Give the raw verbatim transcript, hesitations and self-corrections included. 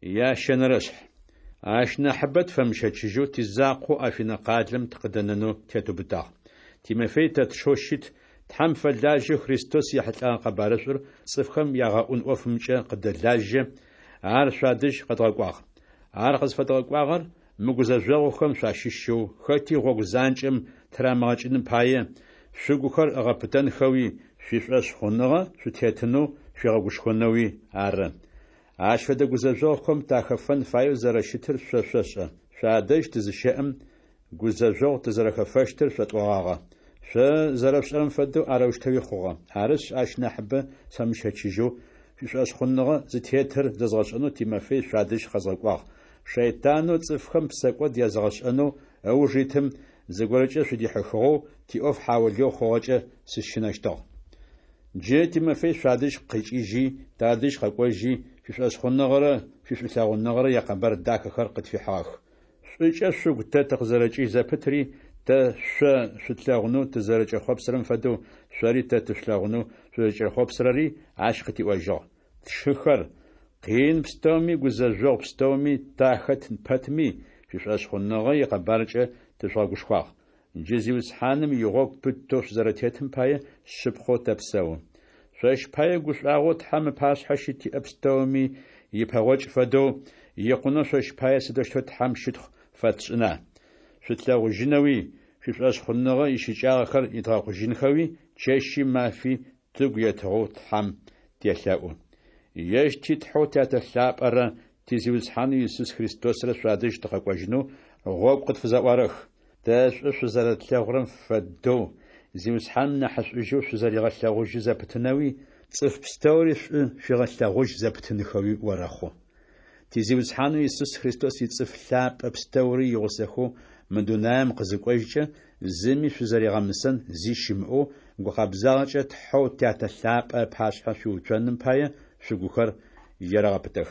Ящэнэрэшъхь. Ащ нахьыбэ тфэмыщэчыжьэу, тизакъоу Афинэ къалэм тыкъыдэнэнэу тетыубытагъ. Тимофей тэ тшэу щыт, Тхьэм фэлажьэу Христос ехьылӏэгъэ къэбарышӏур цӏыфхэм ягъэӏун ӏофымкӏэ къыддэлажьэ, ар шъуадэжь къэдгъэкӏуагъ. Ар къызфэдгъэкӏуагъэр мы гузэжъогъухэм шъуащыщэу хэти гъогу занкӏэм тырамыгъэкӏыным пае, шъугухэр ыгъэпытэнхэуи, шъуишӏошъхъуныгъэ шъутетынэу шъуигъэгушхонэуи ары. Ащ фэдэ гузэжъогъухэм тахэфэн фаеу зэрэщытыр шъо шъошӏэ. Шъуадэжь тызыщэӏэм, гузэжъогъу тызэрэхэфэщтыр шъотӏогъагъэ. Шъо зэрэшъушӏэрэм фэдэу арэущтэуи хъугъэ. Арышъ, ащ нахьыбэ сфэмыщэчыжьэу, шъуишӏошъхъуныгъэ зытетыр зэзгъэшӏэнэу Тимофей шъуадэжь къэзгъэкӏуагъ. Шэйтанэу цӏыфхэм псэкӏод языгъэшӏэнэу ыуж итым зыгорэкӏэ шъудихьыхыгъэу, тиӏоф хьаулыеу хъугъэкӏэ сыщынэщтыгъ. Джы Тимофей шъуадэжь къикӏыжьи, тадэжь къэкӏожьи, шъуишӏошъхъуныгъэрэ шъуишӏулъэгъуныгъэрэ якъэбар дахэхэр къытфихьыгъэх. Шӏукӏэ шъугу тэ тыкъызэрэкӏыжь зэпытри, тэ шъо шъутлъэгъунэу тызэрэкӏэхъопсырэм фэдэу, шъори тэ тышъулъэгъунэу шъузэрэкӏэхъопсырэри ащ къытиӏожьыгъ. Тшыхэр, къин пстэуми гузэжъогъу пстэуми тахэт пэтми, шъуишӏошъхъуныгъэ икъэбаркӏэ тыжъугъэгушхуагъ. Джы Зиусхьаным игъогу пытэу шъузэрэтетым пае шъыпкъэу тэпсэу. Шъощ пае гушӏуагъоу Тхьэм ыпашъхьэ щытиӏэ пстэуми ипэгъокӏ фэдэу, икъунэу шъощ пае сыдэущтэу Тхьэм щытхъу фэтшӏына? Шъутлъэгъужьынэуи, шъуишӏошъхъуныгъэ ищыкӏагъэхэр идгъэкъужьынхэуи чэщи мафи тыгу етыгъэу Тхьэм телъэӏу. Ежь ти Тхьэу Тятэ лъапӏэрэ ти Зиусхьанэу Исус Христосрэ шъуадэжь тыкъэкӏожьынэу гъогу къытфызэӏуарэх. Тэ шӏу шъузэрэтлъэгъурэм фэдэу, Зиусхьаным нахьышӏужьэу шъузэригъэлъэгъужьы зэпытынэуи, цӏыф пстэури шӏу шъуигъэлъэгъужь зэпытынхэуи орэхъу. Ти Зиусхьанэу Исус Христос ицӏыф лъапӏэ пстэури игъусэхэу мы дунаем къызыкӏожькӏэ, зыми шъузэригъэмысэн зи щымыӏэу, гукъэбзагъэкӏэ Тхьэу Тятэ лъапӏэ ыпашъхьэ шъуиуцоным пае, шъугухэр ерэгъэпытэх.